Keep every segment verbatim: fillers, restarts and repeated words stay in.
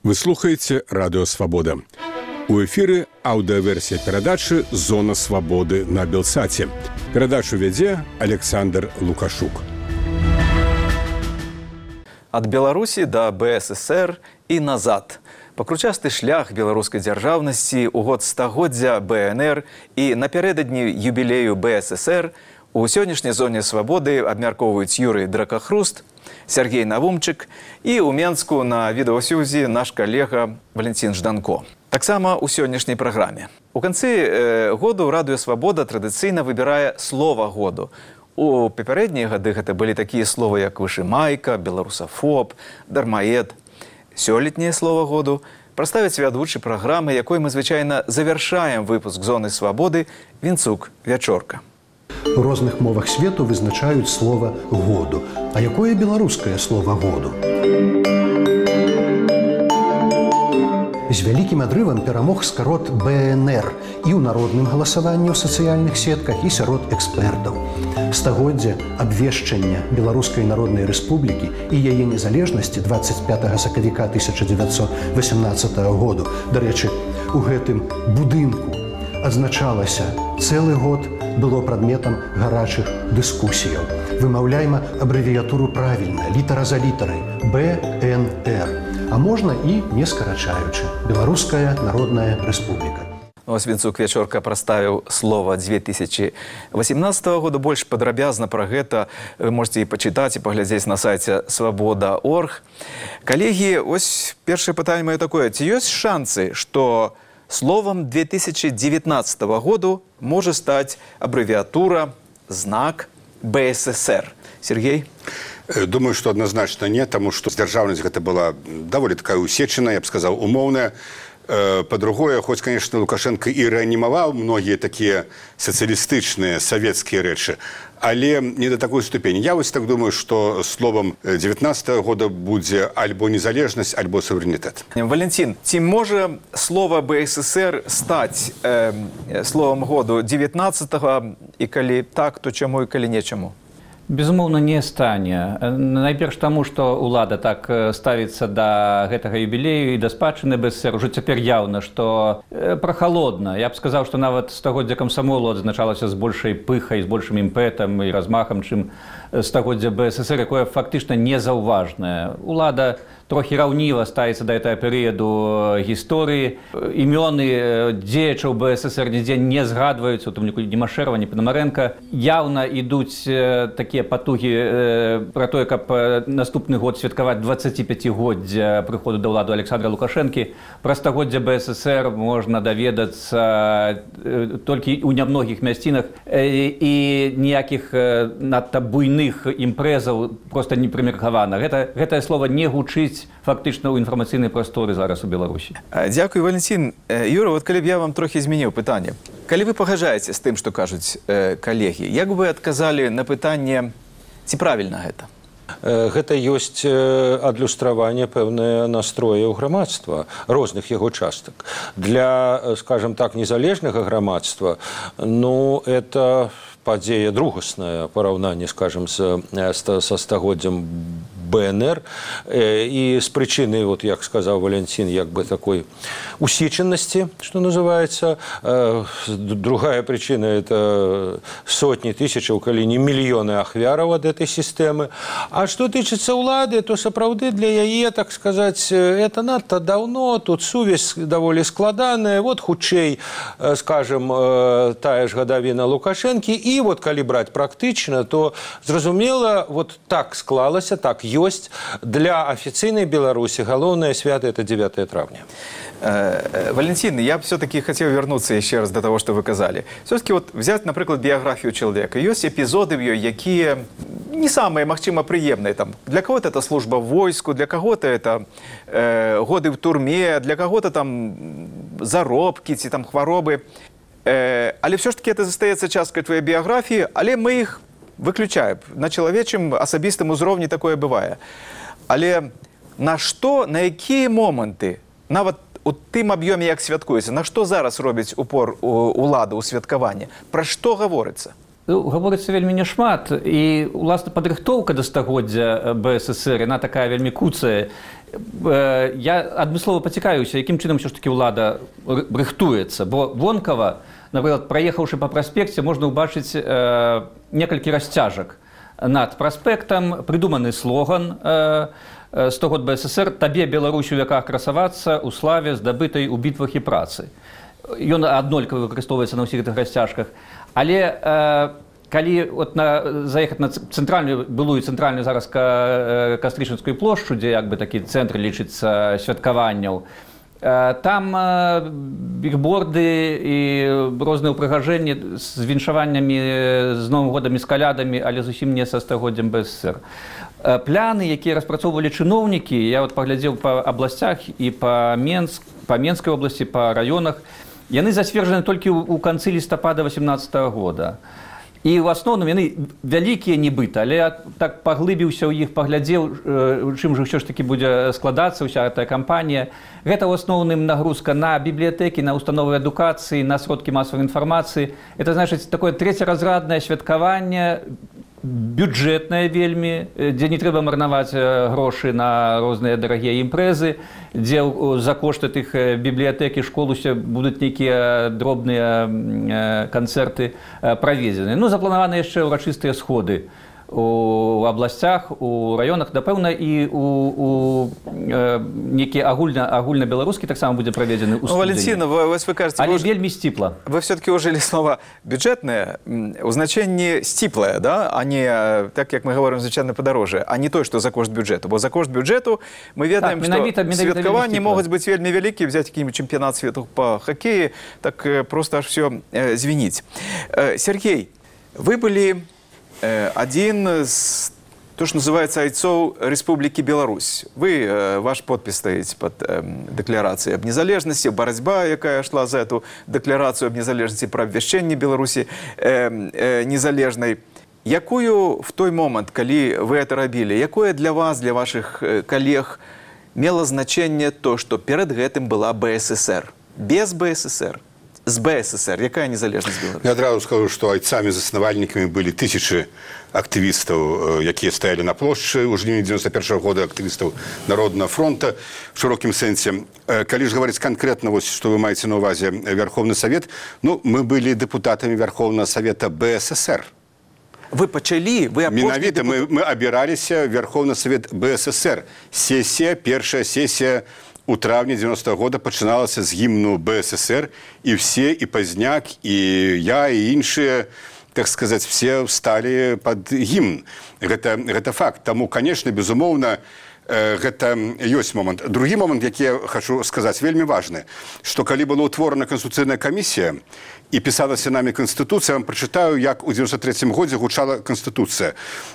Вы слухаеце радыё Свабода. У эфіры аўдыаверсія перадачы «Зона свабоды» на Белсаце. Перадачу вядзе Александр Лукашук. Ад Беларусі да БССР і назад. Пакручасты шлях беларускай дзяржаўнасці ў год стагоддзя БНР і напярэдадні юбілею БССР у сённяшняй зоне свабоды абмяркоўваюць Юрый Дракахруст, Сергей Навумчык і ў Менску на відэасюзі наш калега Валентин Жданко. Таксама ў сённяшняй праграме. У канцы э, году Радыё Свабода традыцыйна выбірае слова году. У папярэднія гады гэта былі такія словы, як вышымайка, беларусафоб, дармаед. Сёлетняе слова году прадставіць вядучы праграмы, якой мы звычайна завяршаем выпуск «Зоны свабоды» Вінцук Вячорка. У розных мовах свету вызначаюць слова «году». А якое беларускае слова «году»? З вялікім адрывам перамог скарот БНР і ў народным галасаванні ў сацыяльных сетках, і сярод экспертаў. Стагоддзе абвешчання Беларускай Народнай Рэспублікі і яе незалежнасці дваццаць пятага сакавіка тысяча дзевяцьсот васямнаццатага году. Дарэчы, у гэтым будынку адзначалася цэлы год, было прадметам гарачых дыскусіяў. Вымаўляйма абрэвіятуру правільна, літара за літарай – БНР. А можна і не скарачаючы. Беларуская Народная Рэспубліка. Ось Вінцук Вячорка прадставіў слова две тысячи восемнадцатого года. Больш падрабязна пра гэта вы можете і пачытаць, і паглядзець на сайце свабода точка орг. Калегі, ось першае пытанне маё такое. Ці ёсць шансы, што словом две тысячи девятнадцатого году можа стаць абрэвіатура, знак БССР? Сергей? Думаю, что однозначно нет, потому что дзяржаўнасць гэта была даволі такая усечаная, я б сказал, умоўная. По-другое, хоць, конечно, Лукашенко і рэанімаваў многія такія сацыялістычныя савецкія рэчы, але не до такой ступені. Я вось так думаю, что словом девятнадцатого года будзе альбо незалежнасць, альбо суверэнітэт. Валентин, ці можа слово БССР стаць э, словом году девятнадцатого, і калі так, то чаму і калі нечаму? Безумоўна, не стане. Найперш таму, што ўлада так ставіцца да гэтага юбілею і да спадчыны БССР. Ужо цяпер яўна, што прахалодна. Я б сказаў, што нават стагоддзя камсамолу адзначалася з большай пыхай, з большым імпэтам і размахам, чым стагоддзя БССР, якое фактычна незаўважнае. Улада трохі раўніва ставіцца да гэтага перыяду гісторыі. Імёны дзеячаў БССР нідзе не згадваюцца, у тым ліку Димашэрава, ні Панамарэнка. Яўна ідуць такія патугі пра тое, каб наступны год святкаваць дваццаціпяцігоддзя прыходу да ўлады Александра Лукашэнкі. Пра стагоддзя БССР можна даведацца толькі ў нямногіх мясцінах, і ніякіх надта буйных імпрэзаў проста не прымеркавана. Гэта, гэтае слова не гучыць фактычна ў інфармацыйнай прасторы зараз у Беларусі. Дзякуй, Валентин. Юра, вот калі б я вам трохі змяніў пытанне. Калі вы пагаджаеце з тым, што кажуць э, калегі, як бы вы адказалі на пытанне, ці правільна гэта? Гэта ёсць адлюстраванне пэўнае настрояў грамадства, розных яго частак. Для, скажем так, незалежнага грамадства, ну, это падзея другасная, параўнанне, скажем, са стагоддзям БНР, і з прычыны, вот, як сказаў Валентин, як бы такой усеченности, что называется. Другая причина – это сотни тысяч, калі не мільёны ахвяраў ад этой системы. А что тычыцца ўлады, то сапраўды для яе, так сказать, это надто давно, тут сувязь даволі складаная. Вот хутчэй, скажем, тая ж гадавіна Лукашэнкі. І вот калі браць практычна, то зразумела, вот так склалася, так ёсць. Для официальной Беларуси галоўное свято – это девятое травня. Валентин, я все-таки хотел вернуться еще раз до того, что вы сказали. Все-таки вот взять, например, биографию человека. Есть эпизоды в ее, які не самые, магчыма, приемные. Там, для кого-то это служба в войску, для кого-то это э, годы в турме, для кого-то там заробки, ці там хваробы. Э, але все-таки это застаецца часткай твоей биографии, але мы их выключаем. На чалавечым асабістым узроўні такое бывае. Але на што, на якія моманты, нават у тым аб'ёме, як святкуецца, на што зараз робіць упор улада ў святкаванні? Пра што гаворыцца? Гаворыцца вельмі няшмат, і, уласна, падрыхтоўка да стагоддзя БССР, яна такая вельмі куцая. Я адмыслова пацікаюся, якім чынам ўсё ж такі ўлада рыхтуецца, бо вонкава, напрыклад, праехаўшы па праспекце, можна ўбачыць э, некалькі расцяжак над праспектам, прыдуманы слоган э, сто год БССР «Табе, Беларусь, у веках красавацца ў славе, здабытай у бітвах і працы». Ён аднолькава выкарыстоўваецца на ўсіх гэтых расцяжках. Але э, калі от на, заехаць на цэнтральную, былую цэнтральную зараз ка, Кастрычынскую плошчу, дзе як бы такі цэнтр лічыцца святкаванняў, там бігборды і розныя ўпрыгажэнні з віншаваннямі, з Новым годам і з калядамі, але зусім не са стагоддзям БССР. Пляны, якія распрацоўвалі чыноўнікі, я вот паглядзеў па абласцях і па Менск, па Менскай обласці, па раёнах, яны зацверджаны толькі ў канцы лістапада васемнаццатага года. І ў асноўным яны вялікія нібыта, але я так паглыбіўся ў іх, паглядзеў, чым жа ўсё ж такі будзе складацца ўся гэтая кампанія. Гэта ў асноўным нагрузка на бібліятэкі, на установы адукацыі, на сродкі масавай інфармацыі. Это значыць такое трэцяразраднае святкаванне, бюджэтнае вельмі, дзе не трэба марнаваць грошы на розныя дарагія імпрэзы, дзе за кошты тых бібліятэк і школ усе будуць нейкія дробныя канцэрты праведзены. Ну, запланаваны яшчэ ўрачыстыя сходы у абласцях, у раёнах, напэўна, і у, у э, некі агульна, агульна-беларускі таксама будзе праведзены ў студзені. Валентина, вы, вы кажете, але вы, вельмі сціпла. Вы все-таки ужили слова бюджетное, у значенні сціплае, да? А не, так як мы говорим, звычайно подороже, а не то, что за кошт бюджету. Бо за кошт бюджету мы ведаем, так, что святкаванні могуць быць вельмі вялікія, взять какие-нибудь чемпионат свету по хоккею, так просто аж все э, звенить. Э, Сергей, вы были один из, то, что называется, айцов Республики Беларусь. Вы, ваш подпись стоит под декларацией об незалежности, борьба, якая шла за эту декларацию об незалежности, про обвящение Беларуси незалежной. Якую в той момент, когда вы это робили, якое для вас, для ваших коллег мело значение то, что перед этим была БССР? Без БССР? З БССР. Якая незалежнасць Беларусі? Я адразу скажу, што айцамі-заснавальнікамі былі тысячы актывістаў, якія стаялі на плошчы ў жніўні дзевяносто першага года, актывістаў Народнага фронта в шырокім сэнсе. Калі ж гаварыць канкрэтна, вось, што вы маеце на ўвазе Верховны Савет, ну, мы былі дэпутатамі Верховнага Савета БССР. Вы пачалі, вы Менавіта, мы, мы абіраліся Верховны Савет БССР. Сесія, першая сесія у травні девяностого года пачыналася з гімну БССР, і все, і Пазняк, і я, і іншыя, так сказаць, все сталі пад гімн. Гэта, гэта факт. Таму, конечно, безумоўна, гэта ёсць момант. Другі момант, які я хочу сказаць, вельмі важны, што калі была ўтворана Конституцыйная камісія і пісалася нами Конституцыя, я вам прачытаю, як у девяносто третьем годзе гучала Конституцыя.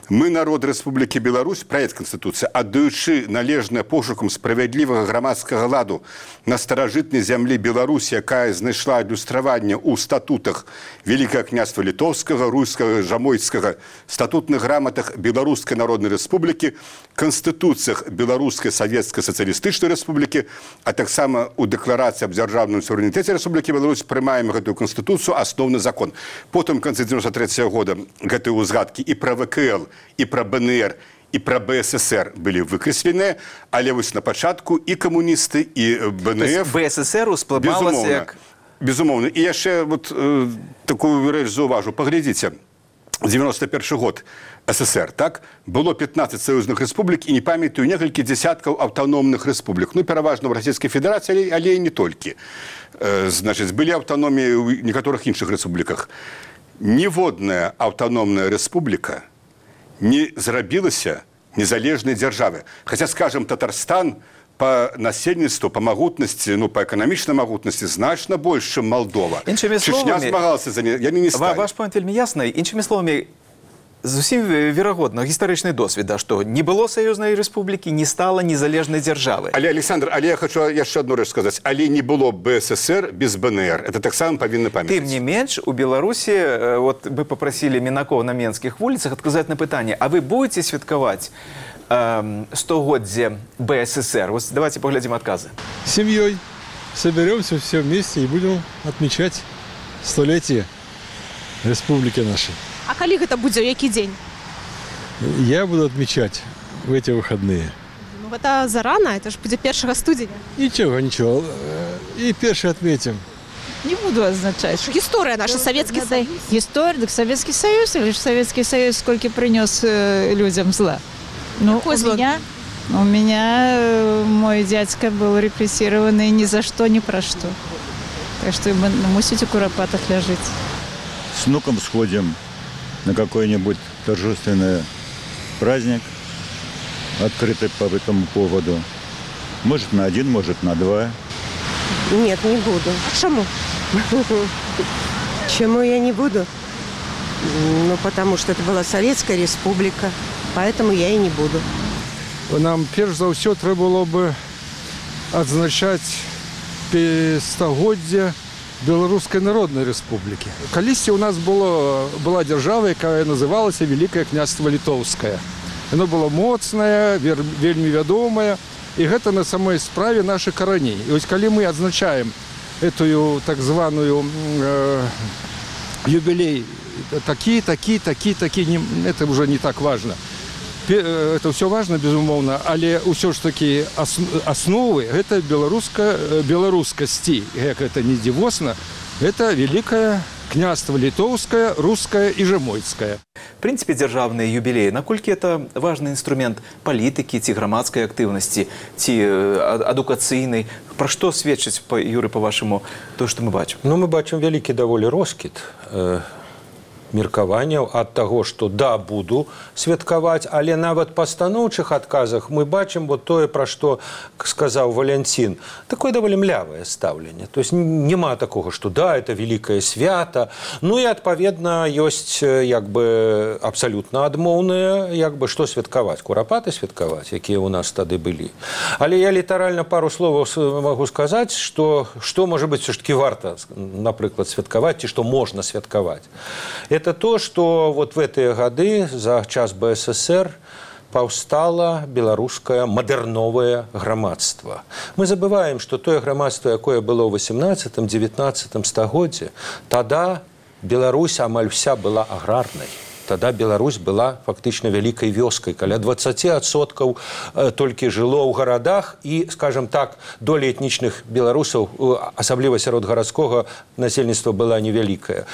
Мы, народ Рэспублікі Беларусь, праект Конституцыі, аддаючы належнае пошукам справядлівага грамадскага ладу на старажытнай зямлі Беларусі, якая знайшла адлюстраванне ў статутах Великага княства Літоўскага, Руйскага, Жамойцкага, статутных граматах Беларускай Народнай Рэспублікі, Конституцыях Беларускай Савецкай Сацыялістычнай Рэспублікі, а таксама ў дэкларацыі аб дзяржаўным суверэнітэце Рэспублікі Беларусь прымаем гэтую Конституцыю, асноўны закон. Потым, в конце девяносто третьего года, гэтыя ўзгадкі і пра ВКЛ, і пра БНР, і пра БССР былі выкрэсленыя, але вось на пачатку і камуністы, і БНФ... БССР усплывалася як... Безумоўна. І яшчэ вот, э, такую рэч заўважу. Паглядзіце, девяносто першы год СССР, так? Было пятнадцать саюзных рэспублік і не памятаю некалькі дзясяткаў аўтаномных рэспублік. Ну, пераважна ў Расійскай Федэрацыі, але і не толькі. Э, значыць, былі аўтаноміі ў некаторых іншых рэспубліках. Ніводная аўтаномная рэспубліка не зрабілася незалежнай дзяржавы. Хаця, скажем, Татарстан по насельніцтву, по магутнасці, ну, по эканамічнай магутнасці значна больш, чым Малдова. Іншымі Чечня словамі, змагалася за не, яны не сталі. Ваш пойнт вельмі ясны. Іншымі словамі, зусім верагодна, гістарычны досвід, да, што не было саюзнай рэспублікі, не стала незалежнай дзяржавы. Але, Александр, але я хочу яшчэ одну рэч сказаць. Але не было БССР без БНР. Это таксама павінны памятаць. Тым не менш, у Беларусі, вот вы попросили Мінакова на Менскіх вуліцах адказаць на пытанне, а вы будете святкаваць э, стагоддзе БССР? Вот давайте поглядим отказы. Семьей соберемся все вместе и будем отмечать столетие республики нашей. А калі гэта будзе, які дзень? Я буду отмечать в эти выходные. Ну, гэта зарана, это ж будзе першага студзеня. Ничего, ничего. И перший отметим. Не буду означать. Гісторыя наша, Савецкі Саюз. История, так Советский Союз, или ж Советский Союз сколько принес э, людям зла? Ну, Какое у зло? меня, у меня э, мой дядька был репрессированный ни за что, ни про что. Так что мы мусите в куропатах ляжить. С внуком сходим на какой-нибудь торжественный праздник, открытый по этому поводу. Может, на один, может, на два. Нет, не буду. А чаму? Чему я не буду? Ну, потому что это была Советская Республика, поэтому я и не буду. Нам перш за ўсё трэба было бы адзначаць стагоддзе Беларускай Народнай Рэспублікі. Калісьці у нас было, была дзяржава, якая называлася Великое княства Літоўскае. Яно было моцнае, вельмі вядомае, і гэта на самой справе наших караней. І ось калі мы адзначаем эту так званую э, юбилей такі, такі, такі, такі, не, это уже не так важно. Это все важно, безумоўна, але ўсё ж такі асновы гэта беларуска беларускасці, як это не дзівосна, это великое княство літоўскае, рускае і жамойцкае. В принципе, дзяржаўныя юбілеі, наколькі это важны інструмент палітыкі ці грамадскай актыўнасці, ці адукацыйнай? Пра што сведчыць, Юры, па-вашаму, то, што мы бачым? Ну, мы бачым вялікі даволі роскіт э, меркаванняў ад таго, што да, буду святкаваць, але нават па станоўчых адказах мы бачым вот тое, пра што сказаў Валянцін, такое даволі млявае стаўленне. То есть няма такога, што да, это великае свята. Ну і адпаведна ёсць як бы абсалютна адмоўнае, як бы што святкаваць, курапаты святкаваць, якія ў нас тады былі. Але я літаральна пару словаў магу сказаць, што што можа быць все ж таки варта, напрыклад, святкаваць, ці што можна святкаваць. Это то, что вот в эти годы, за час БССР, паўстала беларускае мадэрновае грамадства. Мы забываем, что тое грамадство, якое было ў восемнадцатым-девятнадцатым стагоддзе, тада Беларусь амаль вся была аграрнай. Тогда Беларусь была фактично великой вёскай. Каля двадцать адсоткаў толькі жыло ў гарадах, і, скажем так, доля этнічных беларусаў, асабліва сярод гарадскога насельніцтва, была невялікая.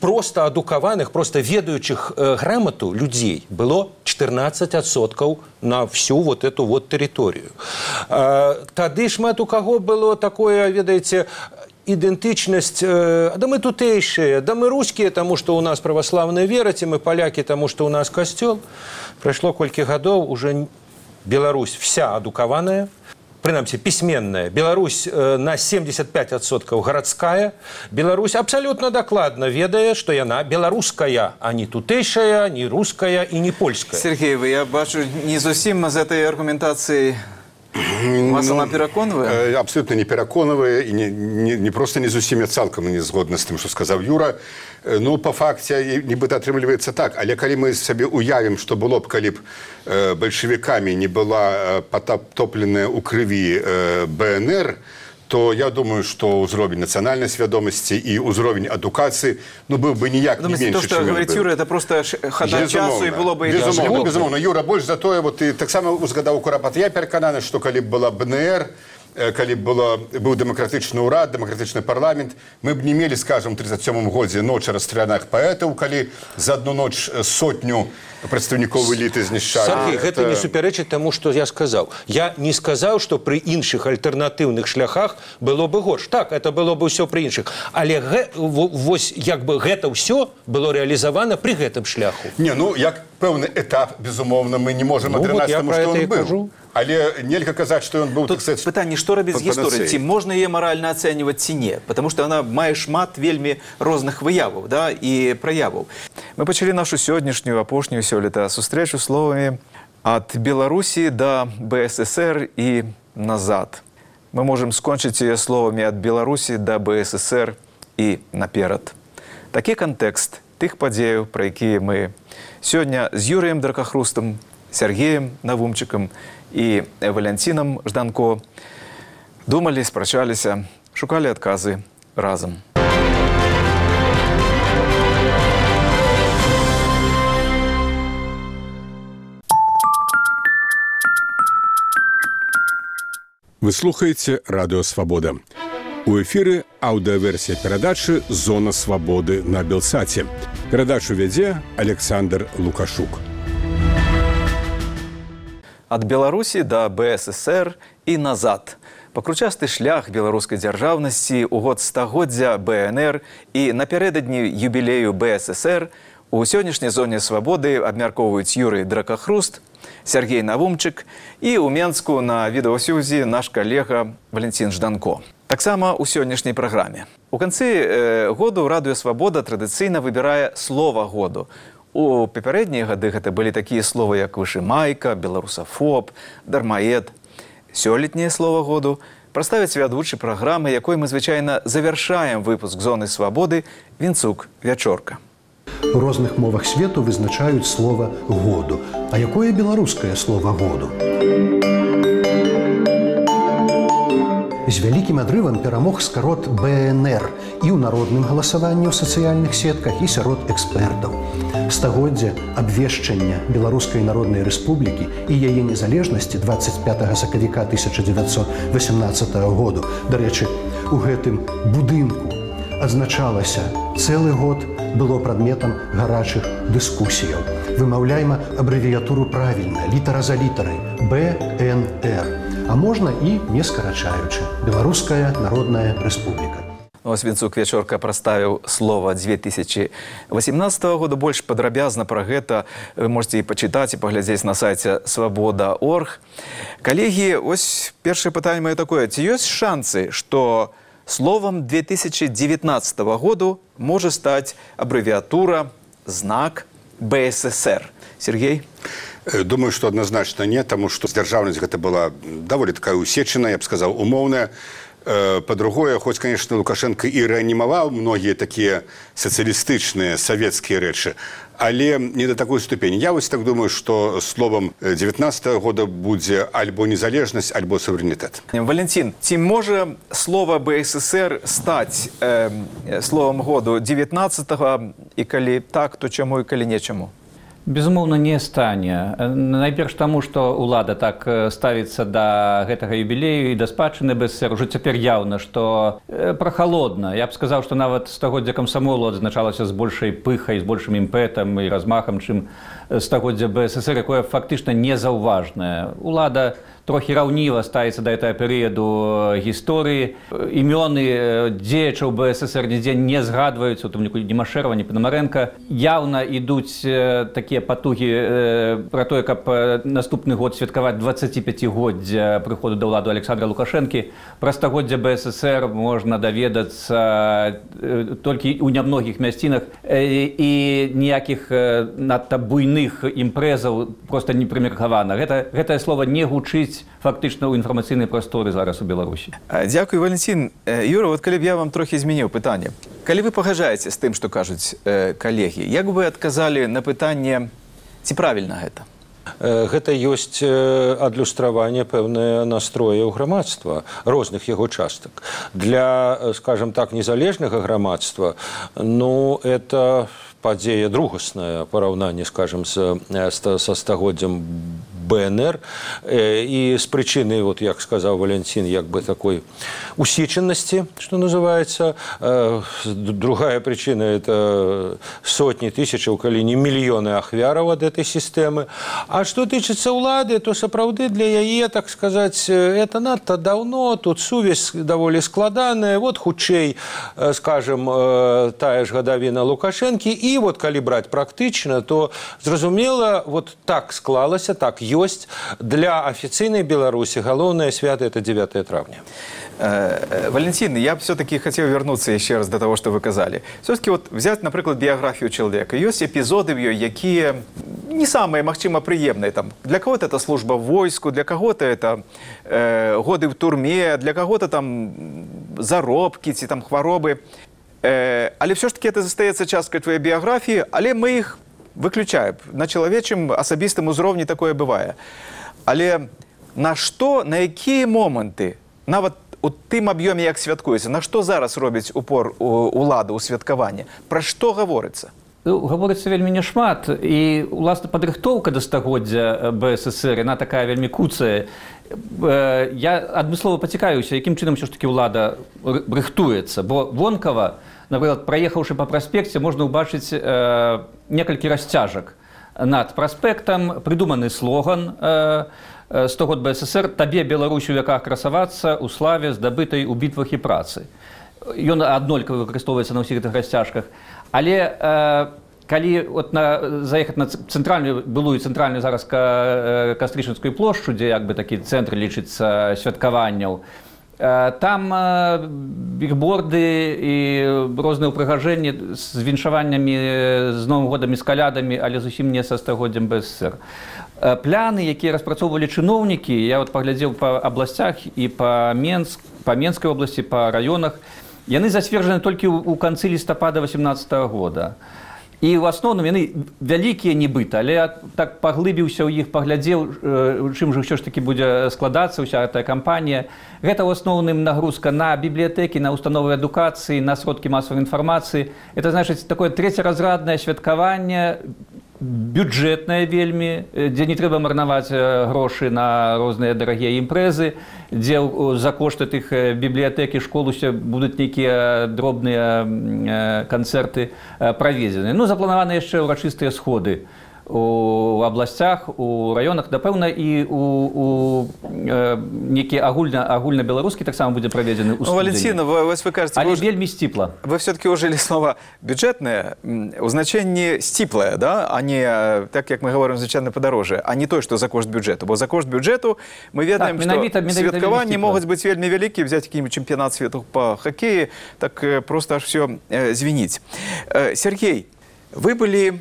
Просто адукаваных, просто ведаючых грамату людзей было чатырнаццаць адсоткаў на всю вот эту вот тэрыторыю. Тады шмат у каго было такое, ведаеце, идентичность, э, да мы тутейшие, да мы русские, тому что у нас православная вера, ці мы поляки, тому что у нас костел. Прошло колькі гадоў, уже Беларусь вся адукаваная, прынамсі пісьменная. Беларусь э, на семьдесят пять адсоткаў гарадская. Беларусь абсолютно докладно ведае, что яна беларуская, а не тутейшая, не русская и не польская. Сергей, вы, я бачу, не зусім з этой аргументацией вас ну, она пераконвае? Абсолютно не пераконвае, і не, не, не просто не зусім, я цалкам не згодна з тым, што сказаў Юра. Ну, па факце, нібыта атрымліваецца так, але калі мы сабе уявім, што было б, калі б э, бальшавікамі не была патопленая ў крыві э, БНР, то я думаю, што ўзровень нацыянальнай свядомасці і ўзровень адукацыі, ну, быў бы ніяк не меншы, то, што говорит Юра, это просто хада часу, і было бы... Безумоўна, безумоўна. Юра, больш за тое, вот ты таксама узгадаў Курапат. Я перакананы, што калі б была БНР, калі б было, быў дэмакратычны ўрад, дэмакратычны парламент, мы б не мелі, скажем, у тридцать сёмым годзе ноч расстраляных паэтаў, калі за одну ноч сотню прадстаўнікоў эліты знішчалі. Сергей, гэта не супярэчыць таму, што я сказаў. Я не сказаў, што пры іншых альтэрнатыўных шляхах было бы горш. Так, это было бы ўсё пры іншых. Але гэ, вось, як бы гэта ўсё было рэалізавана пры гэтым шляху. Не, ну, як пэўны этап, безумоўна, мы не можам ну, адрынаць вот таму, што он быў. Кажу. Але нельга казаць, што ён быў, Тут так сказать, пытанне, што рабіць з гісторыяй? Ці можна яе маральна ацэньваць, ці не? Потому што яна мае шмат вельмі розных выяваў, да, і праяваў. Мы пачалі нашу сённяшнюю, апошнюю сёлета сустрэчу словамі «Ад Беларусі да БССР і назад». Мы можам скончыць яе словамі «Ад Беларусі да БССР і наперад». Такі кантэкст тых падзеяў, пра якія мы сёння з Юрыем Дракахрустам, Сергеем Навумчыкам і Валянцінам Жданко думалі, спрачаліся, шукалі адказы разам. Вы слухаеце радыё Свабода. У эфіры аўдыаверсія перадачы «Зона свабоды» на Белсаце. Перадачу вядзе Александр Лукашук. Ад Беларусі да БССР і назад. Пакручасты шлях беларускай дзяржаўнасці ў год стагоддзя БНР і напярэдадні юбілею БССР у сённяшняй зоне свабоды абмяркоўваюць Юрый Дракахруст, Сергей Навумчык і ў Менску на відэасюзі наш калега Валентин Жданко. Таксама ў сённяшняй праграме. У канцы э, году радыё Свабода традыцыйна выбірае слова году. У папярэднія гады гэта былі такія словы, як вышымайка, беларусафоб, дармаед. Сёлетняе слова году прадставіць вядучы праграмы, якой мы звычайна завяршаем выпуск «Зоны свабоды» Вінцук Вячорка. У розных мовах свету вызначаюць слова «году». А якое беларускае слова «году»? З вялікім адрывам перамог скарот БНР і ў народным галасаванні ў сацыяльных сетках, і сярод экспертаў. Стагоддзе абвешчання Беларускай Народнай Рэспублікі і яе незалежнасці дваццаць пятага сакавіка тысяча дзевяцьсот васямнаццатага году. Дарэчы, у гэтым будынку адзначалася цэлы год, было прадметам гарачых дыскусіяў. Вымаўляйма абрэвіятуру правільна, літара за літарай – БНР. А можна і не скарачаючы. Беларуская Народная Рэспубліка. Ось Вінцук Вячорка прадставіў слова две тысячи восемнадцатого года. Больш падрабязна пра гэта вы можете і пачытаць, і паглядзець на сайце свабода точка орг. Калегі, ось першае пытанне маё такое. Ці ёсць шансы, што словом две тысячи девятнадцатого году можа стаць абрэвіатура, знак БССР? Сергей? Думаю, что однозначно нет, потому что дзяржаўнасць гэта была даволі такая усечаная, я б сказал, умоўная. По-другое, хоць, конечно, Лукашенко і рэанімаваў многія такія сацыялістычныя савецкія рэчы, але не до такой ступені. Я вось так думаю, что словом девятнадцатого года будзе альбо незалежнасць, альбо суверэнітэт. Валентин, ці можа слово БССР стаць э, словом году девятнадцатого, і калі так, то чаму і калі не чаму? Безумоўна, не стане. Найперш таму, што ўлада так ставіцца да гэтага юбілею і да спадчыны БССР. Ужо цяпер яўна, што прахалодна. Я б сказаў, што нават стагоддзя камсамолу адзначалася з большай пыхай, з большым імпэтам і размахам, чым стагоддзя БССР, якое фактычна незаўважнае. Улада трохі раўніва ставіцца да гэтага перыяду гісторыі. Імёны дзеячаў БССР нідзе не згадваюцца, у тым ліку ні Машэрава, ні Панамарэнка. Яўна ідуць такія патугі пра тое, каб наступны год святкаваць дваццаціпяцігоддзя прыходу да ўлады Александра Лукашэнкі. Пра стагоддзя БССР можна даведацца толькі ў нямногіх мясцінах, і ніякіх надта буйных імпрэзаў проста не прымеркавана. Гэта, гэтае слова не гучыць фактычна ў інфармацыйнай прасторы зараз у Беларусі. Дзякуй, Валентин. Юра, вот калі б я вам трохі змяніў пытанне. Калі вы пагаджаеце з тым, што кажуць э, калегі, як бы вы адказалі на пытанне, ці правільна гэта? Гэта ёсць адлюстраванне пэўнае настрояў грамадства, розных яго частак. Для, скажем так, незалежнага грамадства, ну, это падзея другасная, параўнанне, скажем, са стагоддзям БНР, і з прычыны, вот, як сказаў Валентин, як бы такой усеченности, что называется. Другая причина – это сотни тысяч, калі не миллионы ахвяраў ад этой системы. А что тычыцца ўлады, то сапраўды для яе, так сказать, это надто давно, тут сувязь даволі складаная. Вот хутчэй, скажем, тая ж гадавіна Лукашэнкі. І вот калі браць практычна, то зразумела, вот так склалася, так ёсць. Для официальной Беларуси галоўное свято – это девятое травня. Валентин, я все-таки хотел вернуться еще раз до того, что вы сказали. Все-таки вот взять, например, биографию человека. Есть эпизоды в ее, какие не самые, магчыма, приемные. Там, для кого-то это служба в войску, для кого-то это э, годы в турме, для кого-то там заробки, ці там хваробы. Э, але все-таки это застаецца часткай твоей биографии, але мы их выключаем. На чалавечым асабістым узроўні такое бывае. Але на што, на якія моманты, нават у тым аб'ёме, як святкуецца, на што зараз робіць упор улада ў святкаванні? Пра што гаворыцца? гаворыцца вельмі няшмат, і уласна падрыхтоўка да стагоддзя БССР, яна такая вельмі куцая. Я адмыслова пацікаюся, якім чынам ўсё ж такі ўлада рыхтуецца, бо вонкава, напрыклад, праехаўшы па праспекце, можна ўбачыць э, некалькі расцяжак над праспектам, прыдуманы слоган э, сто год БССР «Табе, Беларусь, у вяках красавацца, у славе, здабытай у бітвах і працы». Ён аднолькава выкарыстоўваецца на ўсіх гэтых расцяжках. Але э, калі от на, заехаць на цэнтральную, былую цэнтральную зараз ка, Кастрычніцкую плошчу, дзе як бы такі цэнтр лічыцца святкаванняў, э, там э, бігборды і розныя ўпрыгажэнні з віншаваннямі, з Новым годам і з калядамі, але зусім не са стагоддзям БССР. Э, пляны, якія распрацоўвалі чыноўнікі, я вот паглядзеў па абласцях і па Менск, па Менскай обласці, па раёнах, яны зацверджаны толькі ў канцы лістапада васемнаццатага года. І ў асноўным яны вялікія нібыта, але я так паглыбіўся ў іх, паглядзеў, чым жа ўсё ж такі будзе складацца ўся гэтая кампанія. Гэта ў асноўным нагрузка на бібліятэкі, на установы адукацыі, на сродкі масавай інфармацыі. Это значыць такое трэцяразраднае святкаванне, бюджэтнае вельмі, дзе не трэба марнаваць грошы на розныя дарагія імпрэзы, дзе за кошт тых бібліятэк і школ усе будуць нейкія дробныя канцэрты праведзены. Ну, запланаваны яшчэ ўрачыстыя сходы у абласцях, у раёнах, напэўна, і у, у э, некі агульна, агульна-беларускі таксама будзе праведзены ў студзені. Ну, Валентина, вы, вы кажете, але вы, вельмі сціпла. Вы все-таки ужили слово «бюджетное», у значенні «стіплое», да? А не, так як мы говорим, звичайно, подороже, а не то, что за кошт бюджету. Бо за кошт бюджету мы ведаем, так, что святкаванні могут быть вельмі великие, взять какие-нибудь чемпионат свету по хоккею, так просто аж все э, звенить. Э, Сергей, вы были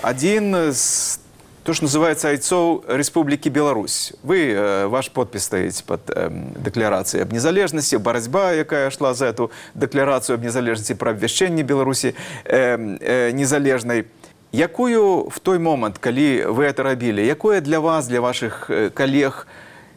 один из, то, что называется, айцов Республики Беларусь. Вы, э, ваш подпись стоите под э, декларацией об незалежности, борьба, якая шла за эту декларацию об незалежности, про обвящение Беларуси э, э, незалежной. Якую в той момент, коли вы это робили, якое для вас, для ваших э, коллег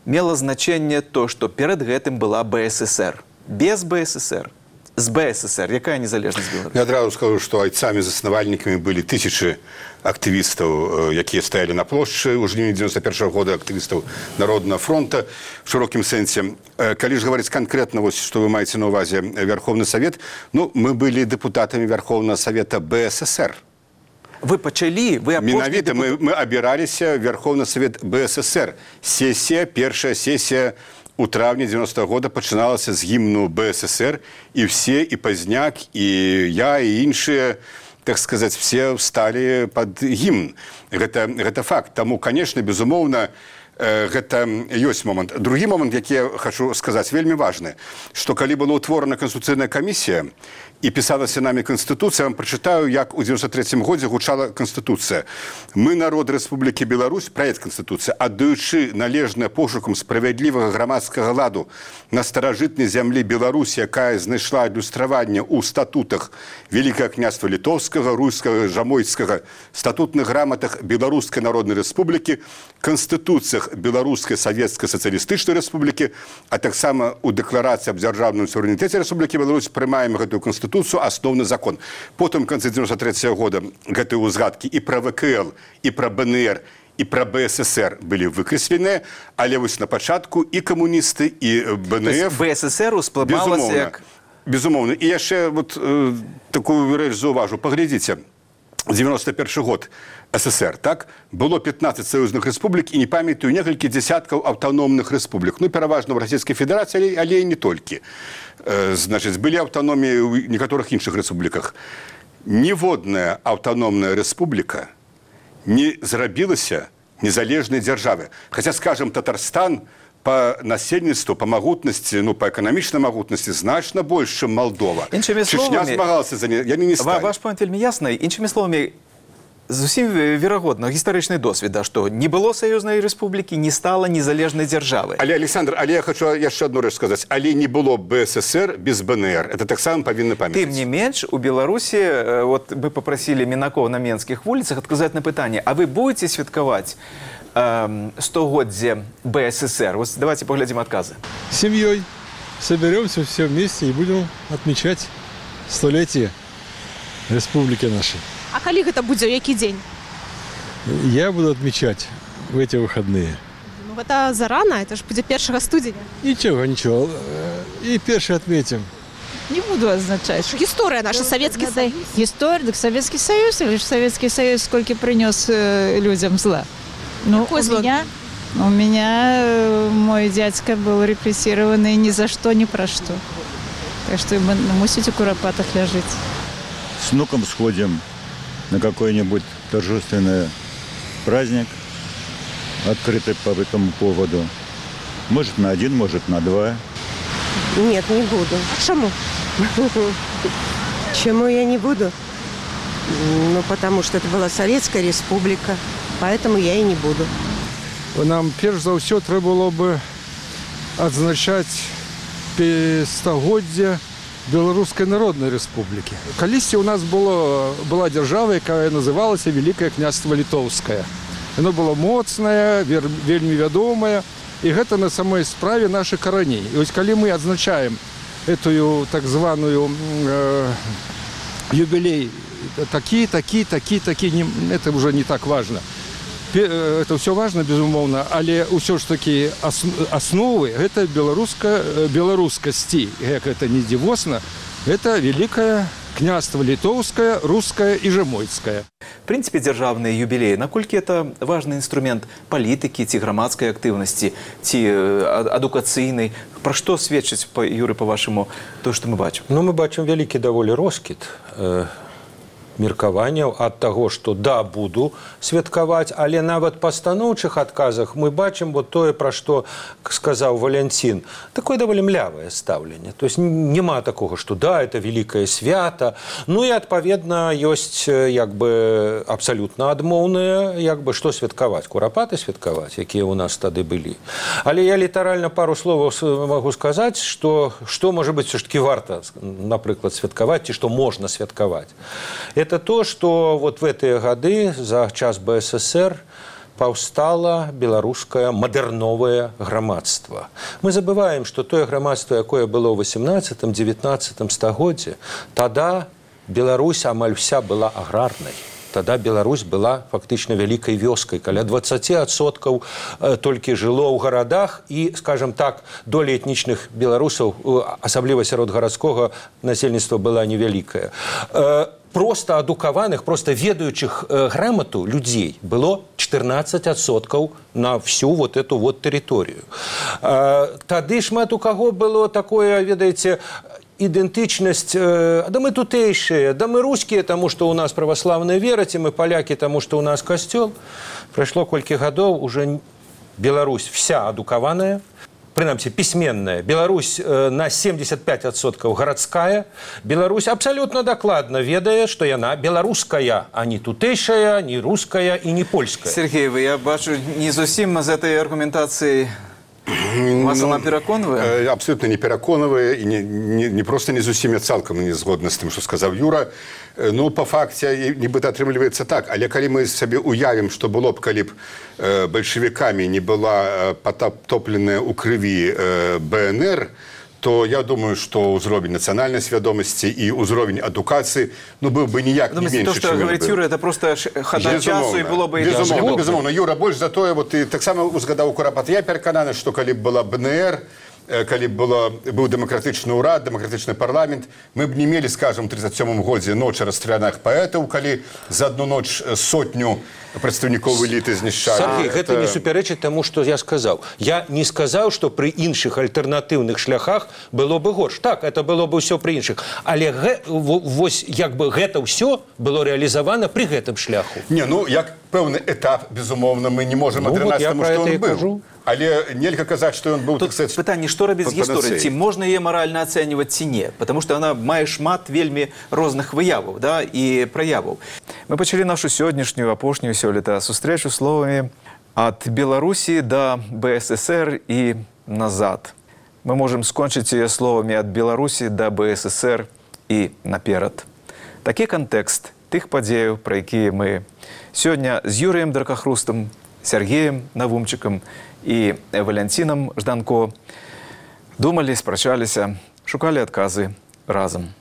мело значение то, что перед гэтым была БССР? Без БССР? З БССР. Якая незалежнасць Беларусі? Я адразу скажу, што айцамі-заснавальнікамі былі тысячы актывістаў, якія стаялі на плошчы ў жніўні дзевяносто першага года, актывістаў Народнага фронта в шырокім сэнсе. Калі ж гаварыць канкрэтна, вось, што вы маеце на ўвазе Верховны Савет, ну, мы былі дэпутатамі Верховнага Савета БССР. Вы пачалі, вы апошні Менавіта, депутат... мы, мы абіраліся Верховны Савет БССР. Сесія, першая сесія у травні девяностого года пачыналася з гімну БССР, і все, і Пазняк, і я, і іншыя, так сказаць, все всталі пад гімн. Гэта, гэта факт. Таму, конечно, безумоўна, гэта ёсць момант. Другі момант, які я хочу сказаць, вельмі важны, што калі была ўтворана Канстытуцыйная камісія і пісалася намі Канстытуцыя, я вам прачытаю, як у девяносто третьем годзе гучала Канстытуцыя. Мы, народ Рэспублікі Беларусь, праект Канстытуцыі, аддаючы належнае пошукам справядлівага грамадскага ладу на старажытнай зямлі Беларусі, якая знайшла адлюстраванне ў статутах Великага княства Літоўскага, Руйскага, Жамойцкага, статутных граматах Беларускай народнай рэспублікі, Канстытуцыях Беларускай савецкай сацыялістычнай рэспублікі, а таксама ў дэкларацыі аб дзяржаўным суверэнітэце Рэспублікі Беларусь прымаем гэтую Канстытуцыю, асноўны закон. Потым, в канцы девяносто третьего года, гэтыя ўзгадкі і пра ВКЛ, і пра БНР, і пра БССР былі выкрэсленыя, але вось на пачатку і камуністы, і БНФ... БССР усплывалася як... Безумоўна. І яшчэ вот, э, такую рэч заўважу. Паглядзіце, девяносто первый год СССР, так? Было пятнадцать союзных республик, и не памятаю, некалькі десяткаў аўтаномных республик. Ну, пераважна ў Расійскай Федэрацыі, але і не толькі. Э, значыць, былі аўтаноміі ў некаторых іншых рэспубліках. Ніводная аўтаномная рэспубліка не зрабілася незалежнай дзяржавы. Хаця, скажем, Татарстан по насельніцтву, по магутнасці, ну, по эканамічнай магутнасці значна больш, чым Малдова. Іншымі Чечня словамі, змагалася за не, яны не сталі. Ваш пойнт вельмі ясны. Іншымі словамі, зусім верагодна, гістарычны досвід, да, што не было саюзнай рэспублікі, не стала незалежнай дзяржавы. Але, Александр, але я хочу яшчэ одну рэч сказаць. Але не было БССР без БНР. Это таксама павінны памятаць. Тым не менш, у Беларусі, вот вы попросили Мінакова на Менскіх вуліцах адказаць на пытанне, а вы будете святкаваць стогоддзе БССР? Вот давайте поглядим отказы. С семьей соберемся все вместе и будем отмечать столетие республики нашей. А калі гэта будзе, ў які дзень? Я буду отмечать в эти выходные. Ну, гэта зарана, это ж будзе першага студзеня. Ничего, ничего. И первый отметим. Не буду означать. Гісторыя наша, Савецкі Союз. История, так Советский Союз, или же Советский Союз сколько принес э, людям зла? Ну, Какое у зло? меня, у меня э, мой дядька был репрессированный ни за что, ни про что. Так что мы мусите в куропатах ляжить. С внуком сходим на какой-нибудь торжественный праздник, открытый по этому поводу. Может, на один, может, на два. Нет, не буду. А чаму? Чему я не буду? Ну, потому что это была Советская Республика, поэтому я и не буду. Нам перш за ўсё трэба было бы адзначаць стагоддзя Беларускай Народнай Рэспублікі. Калісьці у нас было, была дзяржава, якая называлася Великое княство Литовское. Оно было моцнае, вельмі вядомае, і гэта на самой справе наших караней. І ось калі мы адзначаем эту так званую э, юбилей такі, такі, такі, такі, не, это уже не так важно. Это все важно, безумоўна, але ўсё ж такі асновы гэта беларуска беларускасці, як это не дзівосна, это Великое княство Литовское, Русское и Жемойцкое. В принципе, дзяржаўныя юбілеі, наколькі это важны інструмент палітыкі ці грамадскай актыўнасці, ці адукацыйнай? Пра што сведчыць, Юры, па-вашаму, то, што мы бачым? Ну, мы бачым вялікі даволі роскід э, меркаванняў ад таго, што да, буду святкаваць, але нават па станоўчых адказах мы бачым вот тое, пра што сказаў Валянцін, такое даволі млявае стаўленне. То есть няма такога, што да, это великае свята. Ну і адпаведна ёсць як бы абсалютна адмоўнае, як бы што святкаваць, курапаты святкаваць, якія ў нас тады былі. Але я літаральна пару словаў магу сказаць, што што можа быць все ж таки варта, напрыклад, святкаваць, ці што можна святкаваць. Это то, что вот в эти годы, за час бэ эс эсэр, паўстала беларускае мадэрновае грамадства. Мы забываем, что тое грамадство, якое было ў васямнаццатым-дзевятнаццатым стагоддзе, тада Беларусь амаль вся была аграрнай. Тогда Беларусь была фактично великой вёскай. Каля двадцать адсоткаў толькі жыло ў гарадах, і, скажем так, доля этнічных беларусаў, асабліва сярод гарадскога насельніцтва, была невялікая. Просто адукаваных, просто ведаючых грамату людзей было чатырнаццаць адсоткаў на всю вот эту вот тэрыторыю. Тады шмат у каго было такое, ведаеце, идентичность, э, да мы тутейшие, да мы русские, тому что у нас православная вера, и мы поляки, тому что у нас костел. Прошло колькі годов, уже Беларусь вся адукаваная, принамсі письменная. Беларусь э, на семьдесят пять адсоткаў городская. Беларусь абсолютно докладно ведае, что яна беларуская, а не тутейшая, не русская и не польская. Сергей, вы, я бачу, не зусім з этой аргументацией вас ну, она пераконвае? Абсолютно не пераконвае, і не, не, не просто не зусім, я цалкам не згодна з тым, што сказаў Юра. Ну, па факце, нібыта атрымліваецца так, але калі мы сабе уявім, што было б, калі б э, бальшавікамі не была патопленая ў крыві э, бэ эн эр, то я думаю, что уровень национальной свядомости и уровень адукации, ну, был бы ніяк не меньше, то, что говорит Юра, это просто хода часу, и было бы... Безумовно, безумовно. Юра, больше за то, вот ты так само узгадал Курапат. Я переконаны, что коли б была бэ эн эр, калі было, быў дэмакратычны ўрад, дэмакратычны парламент, мы б не мелі, скажем, у тридцать сёмым годзе ноч расстраляных паэтаў, калі за одну ноч сотню прадстаўнікоў эліты знішчалі. Сергей, гэта не супярэчыць таму, што я сказаў. Я не сказаў, што пры іншых альтэрнатыўных шляхах было бы горш. Так, это было бы ўсё пры іншых. Але гэ, вось, як бы гэта ўсё было рэалізавана пры гэтым шляху. Не, ну, як пэўны этап, безумоўна, мы не можам адранаць таму, што он быў. Але нельга казаць, што ён быў, так сказаць, пытанне, што рабіць з гісторыяй? Ці можна яе маральна ацэньваць, ці не? Потому што яна мае шмат вельмі розных выяваў, да, і праяваў. Мы пачалі нашу сённяшнюю, апошнюю сёлета сустрэчу словамі «Ад Беларусі да бэ эс эс эр і назад». Мы можам скончыць яе словамі «Ад Беларусі да бэ эс эс эр і наперад». Такі кантэкст тых падзеяў, пра якія мы сёння з Юрыем Дракахрустам, Сергеем Навумчыкам і Валянцінам Жданко думалі, спрачаліся, шукалі адказы разам.